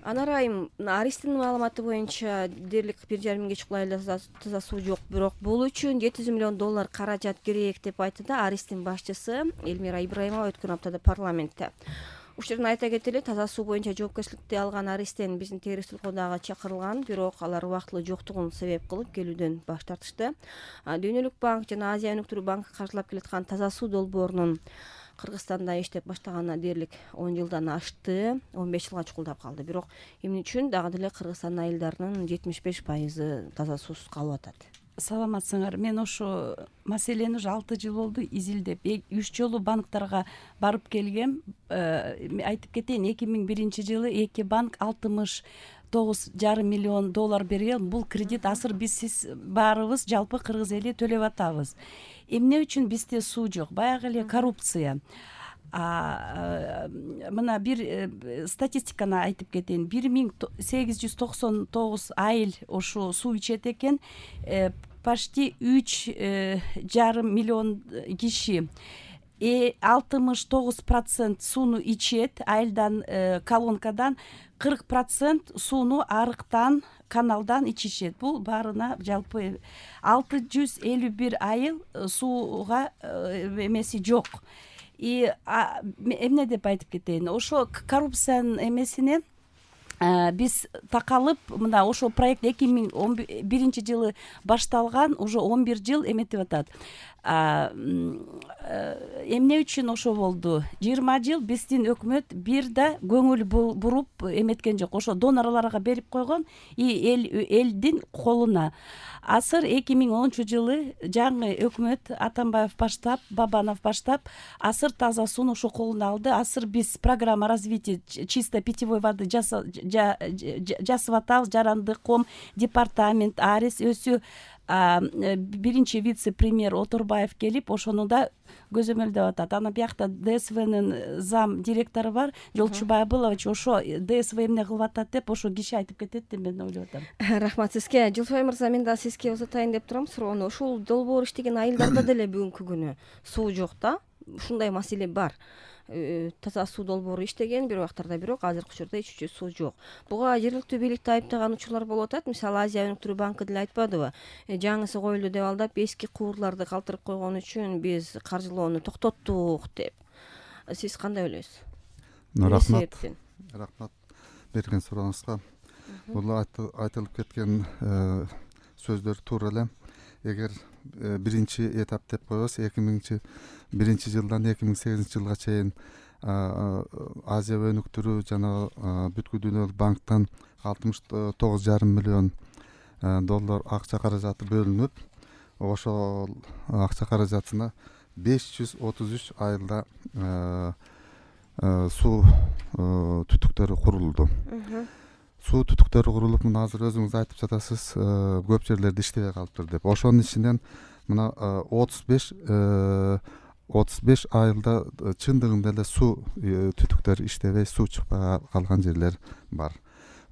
Анар айым, Аристин маалыматы боюнча дээрлик 1,5 миңге чукул айылда таза суу жок, бирок бул үчүн $700 миллион каражат керек деп айтты да Аристин башчысы Элмира Ибраимова өткөн аптада парламентте. Ушул жерден айта кетели, таза суу боюнча жоопкерчиликти алган Аристин биздин териштиликке дагы чакырылган, бирок алар убактылуу жоктугун себеп кылып келүүдөн баш тартышты. Дүйнөлүк банк жана Азия өнүктүрүү банкы каржылап келаткан таза суу долбоорунун Кыргызстанда иштеп баштаганына дээрлик 10 жылдан ашты, 15 жылга чукулдап калды. Бирок эмне үчүн дагы деле Кыргызстан айылдарынын 75% таза суусуз калып атат. Саламатсыңар. Мен ошо маселени уже 6 жыл болду изилдеп, 3 жолу банктарга барып келгем. Айтып кетейин, 2001 жылы 2 банк $69,5 миллион берген. Бул кредит азыр биз баарыбыз жалпы кыргыз эли төлөп атабыз. Эмне үчүн бизде суу жок? Баягы эле коррупция. Мына бир статистиканы айтып кетейин. 1899 айыл ошо суу ичет экен. Почти 3,5 миллион киши 69% сууну ичет, айылдан, колонкадан, 40% сууну арыктан, каналдан ичишет. Бул баарына жалпы 651 айыл сууга эмеси жок. Эмне деп айтып кетейин? Ошо коррупциянын эмесине биз такалып, мына ошо проект 2011 жылы башталган, уже 11 жыл эметип атат. Эмне үчүн ошо болду? 20 жыл биздин өкмөт бир да көңүл буруп эметкен жок. Ошо донорлорго берип койгон, элдин колуна. Азыр 2010 жылы жаңы өкмөт Атамбаев баштап, Бабанов баштап, азыр таза сууну ошо колуна алды. Азыр биз программа развития чистой питьевой воды жасап атабыз. Жарандыком департамент, Арис өзү биринчи вице-премьер Оторбаев келип, ошону да көзөмөлдөп атат. Ана биякта ДСВнын зам директору бар, Жолчубай Абылович, ошо ДСВ эмне кылып атат деп ошо киши айтып кетет деп мен ойлоп атам. Рахмат сизге. Жылфай мырза, мен да сизге узатайын деп турам суроону. Ушул долбоор иштеген айылдарда деле бүгүнкү күнү суу жок да. Ушундай маселе бар. Таза суу долбоору иштеген бир убактарда, бирок азыркы учурда ичүүчү суу жок. Буга жергиликтүү бийликти айыптаган учурлар болуп атат. Мисалы, Азия өнүктүрүү банкы деле айтпадыбы? Жаңысы коюлду деп алдап, эски куурларды калтырып койгон үчүн биз каржылоону токтоттук деп. Сиз кандай ойлойсуз? Рахмат берген сурооңузга. Бул айтылып кеткен сөздөр туура эле. Эгер биринчи этап деп коебуз, 2001 жылдан 2008 жылга чейин Азия өнүктүрүү жана бүткүл дүйнөлүк банктан $69,5 миллион акча каражаты бөлүнүп, ошол акча каражатына 533 айылда суу түтүктөрү курулду. Суу түтүктөрү курулуп, мына азыр өзүңүз айтып жатасыз, көп жерлерде иштебей калыптыр деп. Ошонун ичинен мына 35 айылда чындыгында эле суу түтүктөрү иштебей, суу чыкпай калган жерлер бар.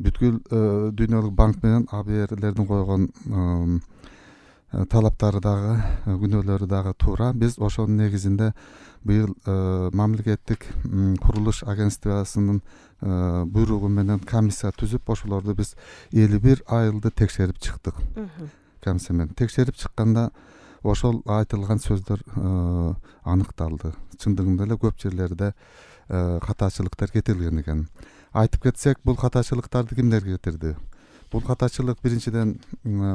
Бүткүл дүйнөлүк банк менен АБРлердин койгон талаптары дагы, күнөөлөрү дагы туура. Биз ошонун негизинде быйыл мамлекеттик курулуш агентствосунун буйругу менен комиссия түзүп, ошолорду биз 51 айылды текшерип чыктык. Комиссия менен текшерип чыкканда ошол айтылган сөздөр аныкталды. Чындыгында эле көп жерлерде катачылыктар кетирилген экен. Айтып кетсек, бул катачылыктарды кимдер кетирди? Бул катачылык биринчиден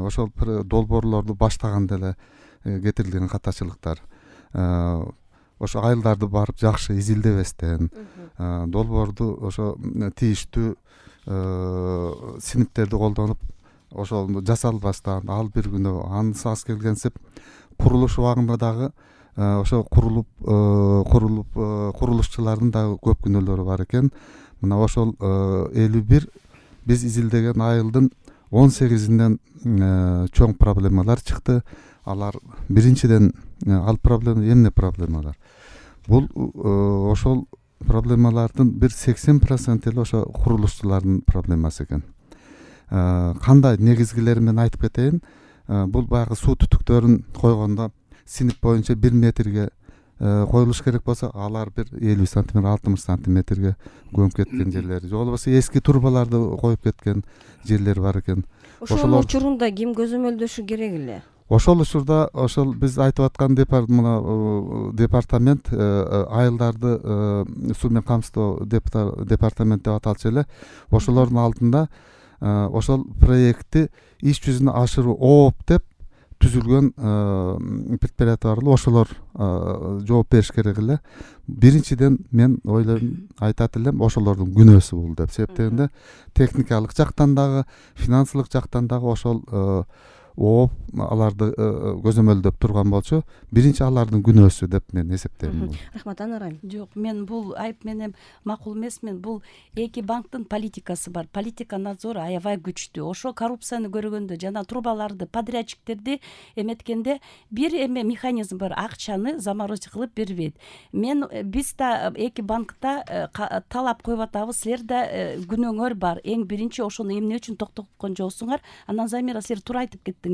ошол долбоорлорду баштаганда эле кетирилген катачылыктар. Ошо айылдарды барып жакшы изилдебестен, долбоорду ошо тийиштүү синиптерди колдонуп, ошол жасалбастан, ал бир күнөө ансыз келгенсип, курулуш убагында дагы ошо курулушчулардын дагы көп күнөөлөрү бар экен. Мына ошол 51 биз изилдеген айылдын 18-инден чоң проблемалар чыкты. Алар биринчиден ал проблема эмне проблемалар? Бул ошол проблемалардын бир 80% эле ошо курулушчулардын проблемасы экен. Кандай негизгилери менен айтып кетейин. Бул баягы суу түтүктөрүн койгондо синип боюнча 1 метрге коюлуш керек болсо алар бир 50 сантиметр 60 сантиметрге көмүп кеткен жерлери же болбосо эски трубаларды коюп кеткен жерлери бар экен. Ошонун учурунда ким көзөмөлдөшү керек эле? Ошол учурда ошол биз айтып аткан департамент айылдарды суу менен камсыздоо департамент деп аталчу эле. Ошолордун алдында ошол проектти иш жүзүнө ашыруу ооп деп түзүлгөн предприятия бар эле, ошолор жооп бериш керек эле. Биринчиден мен ойлойм, айтат элем, ошолордун күнөөсү бул деп себептегенде техникалык жактан дагы, финансылык жактан дагы ошол ооп аларды көзөмөлдөп турган болчу, биринчи алардын күнөөсү деп мен эсептейм. Рахмат, Анарайым. Жок, мен бул айып менен макул эмесмин. Бул эки банктын политикасы бар. Политика надзору аябай күчтүү. Ошо коррупцияны көргөндө жана трубаларды, подрядчиктерди эметкенде бир эме механизм бар, акчаны заморозить кылып бербейт. Биз да эки банкта талап коюп атабыз, силер да күнөөңөр бар. Эң биринчи ошону эмне үчүн токтоткон жоксуңар? Анан Замира, силер туура айтып кеттиңер.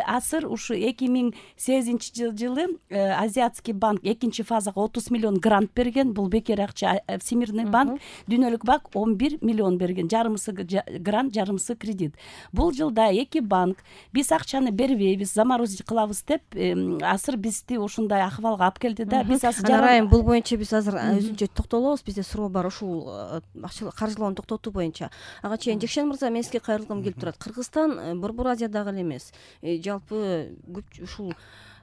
Азыр ушу 2008-жылы Азиатский банк экинчи фазага 30 миллион грант берген. Бул бекер акча. Всемирный банк, Дүйнөлүк банк 11 миллион берген. Жарымысы грант, жарымысы кредит. Бул жылда эки банк биз акчаны бербейбиз, заморозить кылабыз деп азыр бизди ушундай акыбалга алып келди да. Биз азыр Анарайым, бул боюнча биз азыр өзүнчө токтолобуз. Бизде суроо бар ушул каржылоону токтотуу боюнча. Ага чейин Жекшен мырза, мен сизге кайрылгым келип турат. Кыргызстан Борбор Азиядагы эле эмес, жалпы ушул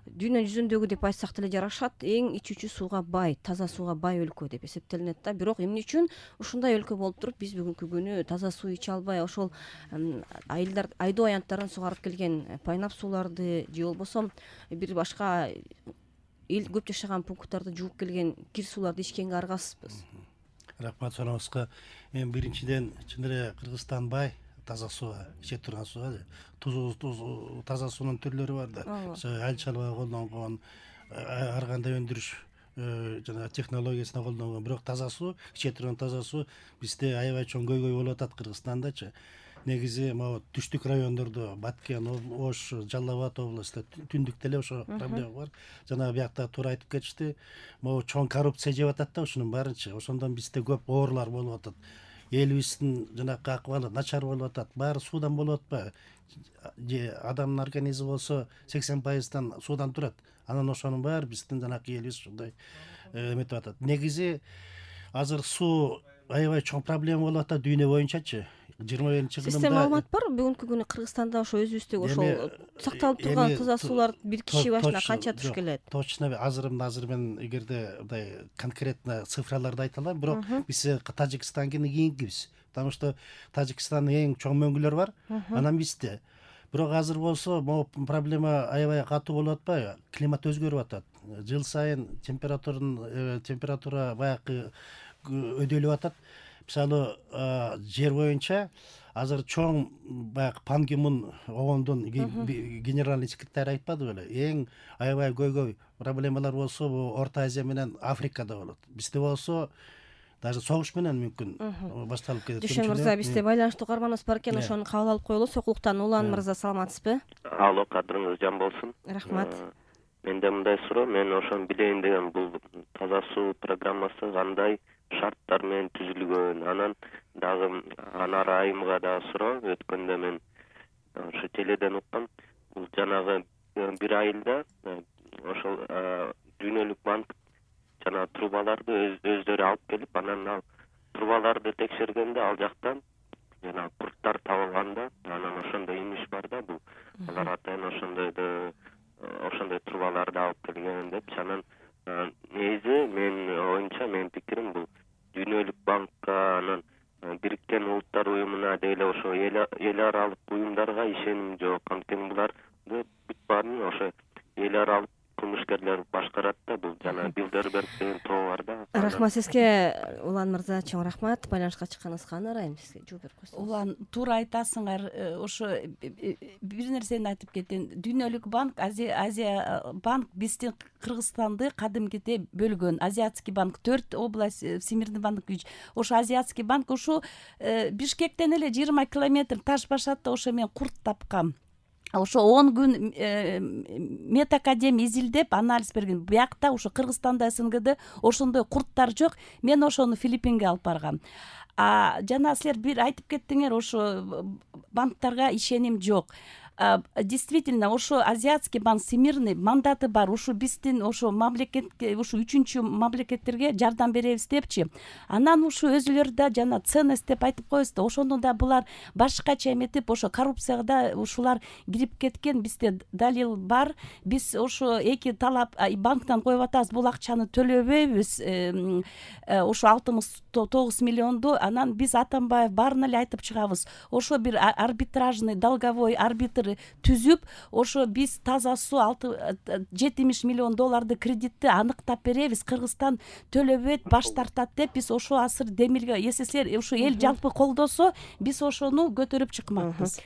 дүйнө жүзүндөгү деп айтсак деле жарашат, эң ичүүчү сууга бай, таза сууга бай өлкө деп эсептелинет да. Бирок эмне үчүн ушундай өлкө болуп туруп биз бүгүнкү күнү таза суу иче албай, ошол айдоо аянттарын сугарып келген пайнап сууларды же болбосо бир башка эл көп жашаган пункттарды жууп келген кир сууларды ичкенге аргасызбыз. Рахмат суроңузга. Мен биринчиден чын эле Кыргызстан бай таза сууга, иче турган сууга. Таза суунун түрлөрү бар да. Айыл чарбага колдонгон, ар кандай өндүрүш жана технологиясына колдонгон, бирок таза суу, иче турган таза суу бизде аябай чоң көйгөй болуп атат Кыргызстандачы. Негизи могу түштүк райондордо, Баткен, Ош, Жалал Абад областта түндүктө эле ошо проблема бар. Жана биякта туура айтып кетишти. Могу чоң коррупция жеп атат да ушунун баарынчы. Ошондон бизде көп оорулар болуп атат. Элибиздин жанакы акыбалы начар болуп атат. Баары суудан болуп атпайбы? Же адамдын организми болсо 80% суудан турат. Анан ошонун баары биздин жанакы элибиз ушундай эметип атат. Негизи азыр суу аябай чоң проблема болуп атат дүйнө боюнчачы. 21-жылында Сизде маалымат бар? Бүгүнкү күнү Кыргызстанда ошо өзүбүздөгү ошол сакталып турган таза суулар бир киши башына канча туш келет? Точно азыр мен эгерде мындай конкретно цифраларды айта алам, бирок биз Тажикстандан кийинкибиз. Потому что Тажикстандын эң чоң мөңгүлөр бар, анан бизде. Бирок азыр болсо могу проблема аябай катуу болуп атпайбы? Климат өзгөрүп атат. Жыл сайын температура баягы өдөлүп атат. Мисалы, жер боюнча азыр чоң баягы Пан Ги Мун ООНдун генеральный секретары айтпады беле? Эң аябай көйгөй проблемалар болсо бул Орто Азия менен Африкада болот. Бизде болсо даже согуш менен мүмкүн башталып кетет. Жекшен мырза, бизде байланыштуу каарманыбыз бар экен, ошону кабыл алып коелу. Сокулуктан Улан мырза, саламатсызбы? Алло, кадырыңыз жан болсун. Рахмат. Менде мындай суроо, мен ошону билейин деген, бул таза суу программасы кандай шарттар менен түзүлгөн? Анан дагы Анар айымга да суроо, өткөндө мен ошо теледен уккам. Бул жанагы бир айылда ошол Дүйнөлүк банк жана трубаларды өздөрү алып келип, анан ал трубаларды текшергенде ал жактан жана курттар табылганда, анан ошондой имиш бар да, бул алар атайын ошондой трубаларды алып келген деп. Анан негизи менин оюмча, менин пикирим, бул Дүйнөлүк банкка, анан Бириккен Улуттар уюмуна дейле ошо эл аралык уюмдарга ишеним жок. Анткени буларды бүт баарын ошо эл аралык кылмышкерлер башкарат да. Бул жана Билдерберг деген тоо бар да. Рахмат сизге, Улан мырза, чоң рахмат. Байланышка чыкканыңызга Анарайым, сизге жооп берип койсоңуз. Улан, туура айтасыңар. Ошо бир нерсени айтып кетейин. Дүйнөлүк банк, Азия банк биздин Кыргызстанды кадимкиде бөлгөн. Азиатский банк 4 область, Всемирный банк 3. Ошо Азиатский банк ушу Бишкектен эле 20 километр таш башатта ошо мен курт тапкам. ошо 10 күн медакадемия изилдеп анализ берген. Биякта ошо Кыргызстанда, СНГде ошондой курттар жок. Мен ошону Филиппинге алып баргам. Жана силер бир айтып кеттиңер, ошо банктарга ишеним жок. Действительно, ошо Азиатский банк, Всемирный мандаты бар. Ушу биздин ошо мамлекетке, ушу 3-чү мамлекеттерге жардам беребиз депчи. Анан ушу өзүлөрү да жана ценность деп айтып коебуз да, ошондо да булар башкача эметип, ошо коррупцияга да ушулар кирип кеткен. Бизде далил бар. Биз ошо эки талап банктан коюп атабыз, бул акчаны төлөбөйбүз. Ошо 69 миллионду анан биз Атамбаев баарын эле айтып чыгабыз. Ошо бир арбитражный долговой арбитр түзүп, ошо биз таза суу 70 миллион долларды кредитти аныктап беребиз, Кыргызстан төлөбөйт, баш тартат деп биз ошо асыр демилге, эсеслер ошо эл жалпы колдосо, биз ошону көтөрүп чыкмакпыз.